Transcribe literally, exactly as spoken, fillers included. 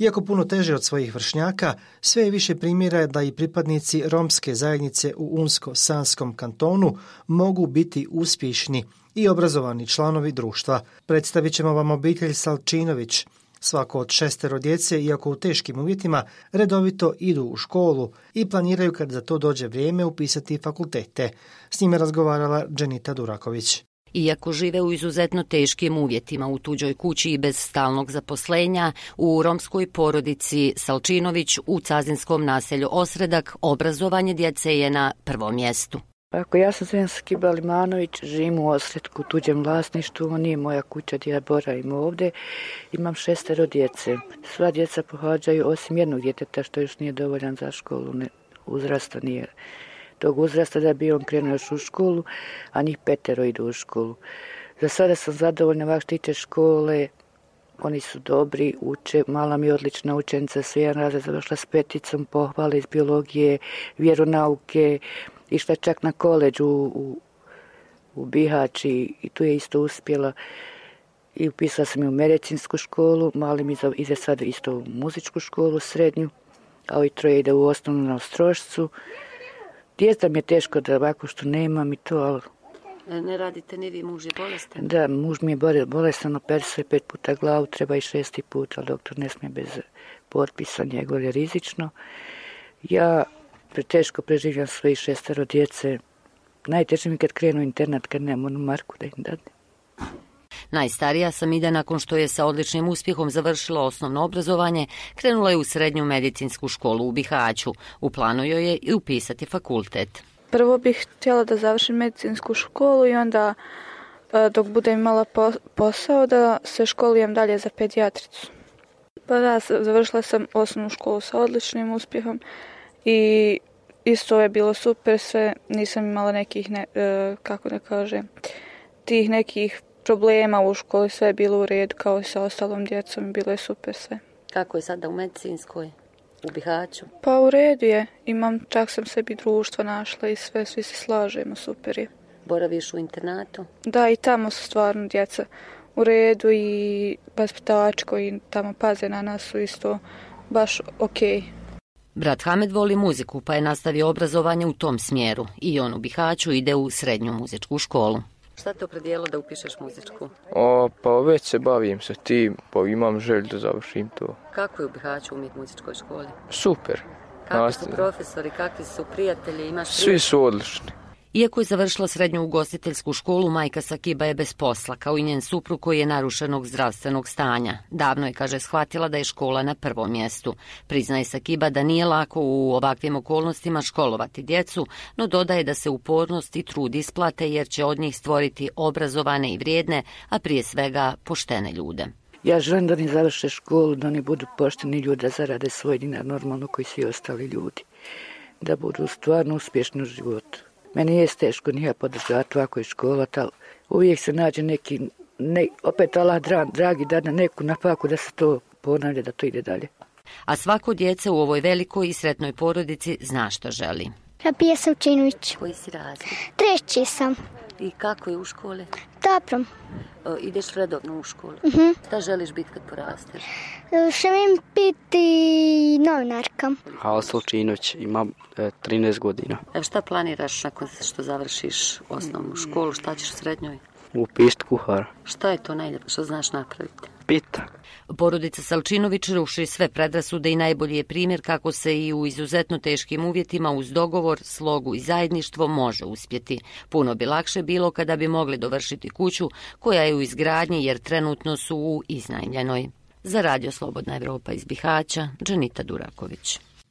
Iako puno teže od svojih vršnjaka, sve je više primjera da i pripadnici romske zajednice u Unsko-Sanskom kantonu mogu biti uspješni i obrazovani članovi društva. Predstavit ćemo vam obitelj Salčinović. Svako od šestero djece, iako u teškim uvjetima, redovito idu u školu i planiraju kad za to dođe vrijeme upisati fakultete. S njime razgovarala Dženita Duraković. Iako žive u izuzetno teškim uvjetima u tuđoj kući i bez stalnog zaposlenja, u romskoj porodici Salčinović u cazinskom naselju Osredak obrazovanje djece je na prvom mjestu. Ako ja sam Zven Skiba Limanović, živim u Osredku, u tuđem vlasništvu, ovo nije moja kuća gdje ja boravim ovdje. Imam šestero djece. Sva djeca pohađaju, osim jednog djeteta što još nije dovoljan za školu, ne, uzrasta nije tog uzrasta da bi on krenuo još u školu, a njih petero idu u školu. Za sada sam zadovoljna vak tiče škole, oni su dobri, uče, mala mi je odlična učenica, sve jedan razred završila s peticom, pohvale iz biologije, vjeronauke, išla čak na koleđ u, u, u Bihać i, i tu je isto uspjela. I upisala sam je u medicinsku školu, mali mi ide sad isto u muzičku školu srednju, a ovi troje ide u osnovnu na Ostrošcu. Djeca mi je teško da ovako što nemam i to, ali... Ne radite ni vi, muž je bolestan? Da, muž mi je bolestan, operisao je pet puta glavu, treba i šesti put, ali doktor ne smije bez potpisa, njegov je rizično. Ja preteško preživljam svoji šestero djece. Najteže mi kad krenu internat, kad nemam onu marku da im dadne. Najstarija Samida, nakon što je sa odličnim uspjehom završila osnovno obrazovanje, krenula je u srednju medicinsku školu u Bihaću. U planu joj je i upisati fakultet. Prvo bih htjela da završim medicinsku školu i onda dok budem imala posao da se školujem dalje za pedijatricu. Pa da, završila sam osnovnu školu sa odličnim uspjehom i isto je bilo super sve, nisam imala nekih, ne, kako da kažem, tih nekih problema u školi, sve je bilo u redu kao i sa ostalom djecom, bilo je super sve. Kako je sada u medicinskoj, u Bihaću? Pa u redu je, imam, čak sam sebi društvo našla i sve, svi se slažemo, super je. Boraviš u internatu? Da, i tamo su stvarno djeca u redu i vaspitači koji tamo paze na nas su isto baš okej. Brat Hamed voli muziku pa je nastavio obrazovanje u tom smjeru i on u Bihaću ide u srednju muzičku školu. Šta te opredijelo da upišeš muzičku? O, pa već se bavim sa tim, pa imam želju da završim to. Kako je u Bihaću umjet muzičkoj školi? Super. Kakvi Nastav... su profesori, kakvi su prijatelji, imaš Svi prijatelji? Su odlični. Iako je završila srednju ugostiteljsku školu, majka Sakiba je bez posla, kao i njen suprug koji je narušenog zdravstvenog stanja. Davno je, kaže, shvatila da je škola na prvom mjestu. Priznaje Sakiba da nije lako u ovakvim okolnostima školovati djecu, no dodaje da se upornost i trud isplate jer će od njih stvoriti obrazovane i vrijedne, a prije svega poštene ljude. Ja želim da oni završe školu, da oni budu pošteni ljudi, da zarade svoj dinar normalno koji svi ostali ljudi. Da budu stvarno uspješni u životu. Meni je teško, nije podržati ovako i škola, ali uvijek se nađe neki, ne, opet Allah dragi da na neku napaku da se to ponavlja, da to ide dalje. A svako djece u ovoj velikoj i sretnoj porodici zna što želi. Rabija Savčinović. Koji si razred? Treći sam. I kako je u školi? Dobro. O, ideš redovno u školu? Uh-huh. Šta želiš biti kad porasteš? Želim biti novinarka. Hala Salčinović, imam e, trinaest godina. Evo šta planiraš nakon što završiš osnovnu školu? Šta ćeš u srednjoj? Upisati kuhara. Šta je to najljepše što znaš napraviti? Pita. Porodica Salčinović ruši sve predrasude i najbolji je primjer kako se i u izuzetno teškim uvjetima uz dogovor, slogu i zajedništvo može uspjeti. Puno bi lakše bilo kada bi mogli dovršiti kuću koja je u izgradnji jer trenutno su u iznajmljenoj. Za Radio Slobodna Evropa iz Bihaća, Dženita Duraković.